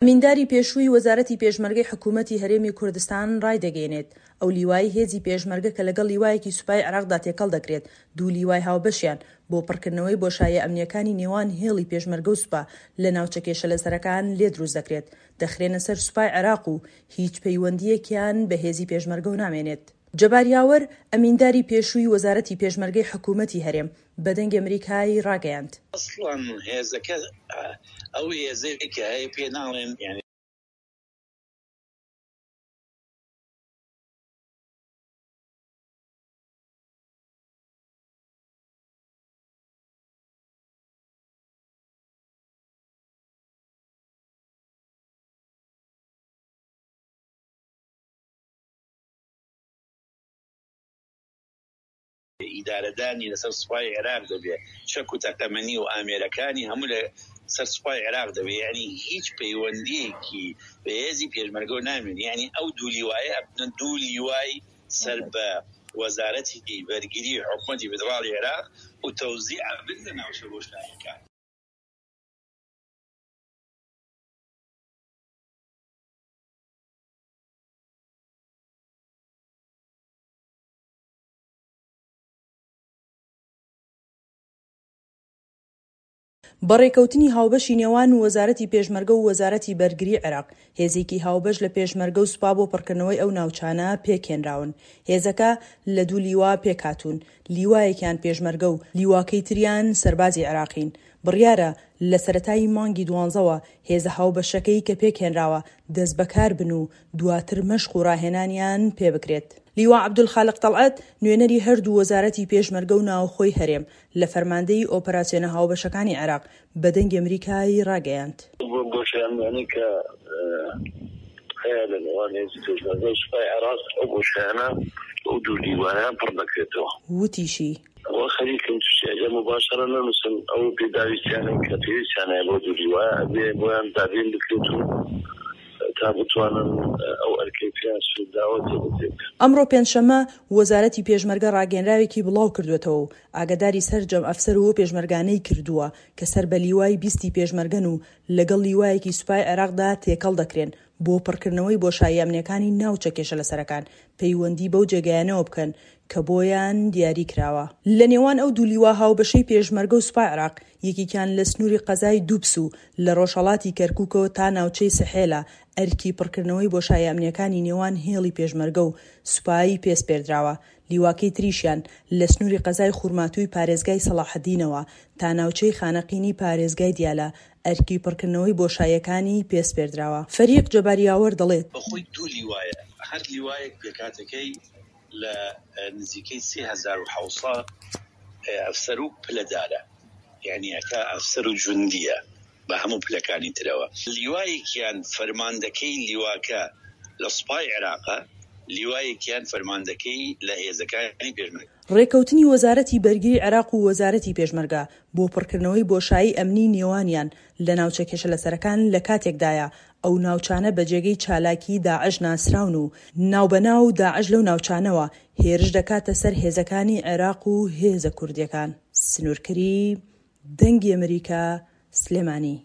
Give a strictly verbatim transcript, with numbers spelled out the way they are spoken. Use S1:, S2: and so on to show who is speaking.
S1: ئەمینداری پێشووی وەزارەتی پێشمەرگەی حکوومەتی هەرێمی کوردستان ڕایدەگەیەنێت، ئەو لیوایەی هێزی پێشمەرگە کە لەگەڵ لیوایەکی سوپای عێراقدا تێکەڵ دەکرێت، دوو لیوای هاوبەشیان بۆ پڕکردنەوەی بۆشاییە ئەمنییەکانی نێوان هێڵی پێشمەرگە و سوپا لە ناوچە کێشەلەسەرەکان لێ دروست دەکرێت، دەخرێنە سەر سوپای عێراق و هیچ پەیوەندییەکیان بە هێزی پێشمەرگەوە نامێنێت. جەبار یاوەر، ئەمینداری پێشووی وەزارەتی پێشمەرگەی حکوومەتی هەرێم، بە دەنگی ئەمریکای ڕاگەیاند.
S2: ئەسڵەن هێزەکە ئەو هێزەی کە هەیە پێ ناڵێن یانی. ئیدارەدانی لەسەر سوپای عێراق دەبێ، چەک و تەقەمەنی و ئامێرەکانی هەموو لەسەر سوپای عێراق دەبێ، یانی هیچ پەیوەندییەکی بە هێزی پێشمەرگەوە نامێنێ، یانی ئەو دوو لیوایە ئەبنە دوو لیوای سەر بە وەزارەتی بەرگری حکومەتی فیدراڵی عێراق و تەوزیع ئەبن لە ناوچە بۆشاییەکان.
S1: بە ڕێکەوتنی هاوبەشی نێوان وەزارەتی پێشمەرگە و وەزارەتی بەرگری عێراق، هێزێکی هاوبەش لە پێشمەرگە و سوپا بۆ پڕکردنەوەی ئەو ناوچانە پێکهێنراون. هێزەکە لە دوو لیوا پێکهاتوون، لیوایەکیان پێشمەرگە و لیواکەی تریان سەربازی عێراقین. بڕیارە لە سەرەتای مانگی دوانزەوە هێزە هاوبەشەکەی کە پێکهێنراوە دەستبەکار بن و دواتر مەشق و ڕاهێنانیان پێبکرێت. لیوا عەبدولخالق تەڵعەت، نوێنەری هەردوو وەزارەتی پێشمەرگە و ناوخۆی هەرێم لە فەرماندەیی ئۆپەراسیۆنە هاوبەشەکانی عێراق بە دەنگی ئەمریکای ڕاگەیاند.
S3: ئەو بۆشایانەی کە هەیە لە نێوان هێزی پێشمەرگە و سوپای عێراق، ئەو بۆشایانە بەو دوو لیوایە پڕ دەکرێتەوە.
S1: وتیشی.
S3: وا خەریکن تووشی ئەگەر موباشەرە نەنووسن ئەو پێداویستیانەی کە پێویستیان هەیە بۆ دوو لیوایە ئەبێ بۆیان دابین بکرێت و تا بتوانن ئەو ئەرکەی پێیان سووداوە جێبەجێ بکەن.
S1: ئەمڕۆ پێنجشەممە، وەزارەتی پێشمەرگە ڕاگەیەنراوێکی بڵاوکردووەتەوە و ئاگاداری سەرجەم ئەفسەر و پێشمەرگانەی کردووە کە سەر بە لیوای بیستی پێشمەرگەن و لەگەڵ لیوایەکی سوپای عێراقدا تێکەڵ دەکرێن بۆ پڕکردنەوەی بۆشاییە ئەمنییەکانی ناوچە کێشەلەسەرەکان پەیوەندی بەو جێگایانەوە بکەن کە بۆیان دیاری کراوە. لە نێوان ئەو دوو لیوا هاوبەشەی پێشمەرگە و سوپای عێراق، یەکێکیان لە سنووری قەزای دوبس و لە ڕۆژهەڵاتی کەرکووکەوە تا ناوچەی سحێلا ئەرکی پڕکردنەوەی بۆشاییە ئەمنییەکانی نێوان هێڵی پێشمەرگە و سوپای پێ سپێردراوە، لیواکەی تریشیان لە سنووری قەزای خورماتووی پارێزگای سەڵاحەدینەوە تا ناوچەی خانەقینی پارێزگای دیالە ئەرکی پڕکردنەوەی بۆشاییەکانی پێ سپێردراوە. فەریق جەبار یاوەر دەڵێت.
S2: بەخۆی دوو لیوایە، هەر لیوایەک پێکهاتەکەی لە نزیکەی سێ هەزار و حەوت سەد ئەفسەر و پلەدارە، یانی ئەکا ئەفسەر و جوندییە بە هەموو پلەکانی ترەوە. لیوایەکیان فەرماندەکەی لیواکە لە سوپای عێراقە، لیوایەکیان فەرماندەکەی لە هێزەکانی پێشمەرگە.
S1: ڕێککەوتنی وەزارەتی بەرگری عێراق و وەزارەتی پێشمەرگە بۆ پڕکردنەوەی بۆشایی ئەمنی نێوانیان لە ناوچە کێشەلەسەرەکان لەکاتێکدایە ئەو ناوچانە بە جێگەی چالاکیی داعش ناسراون و ناوبەناو داعش لەو ناوچانەوە هێرش دەکاتە سەر هێزەکانی عێراق و هێزە کوردییەکان. سنوور کەریم، دەنگی ئەمریکا، سلێمانی.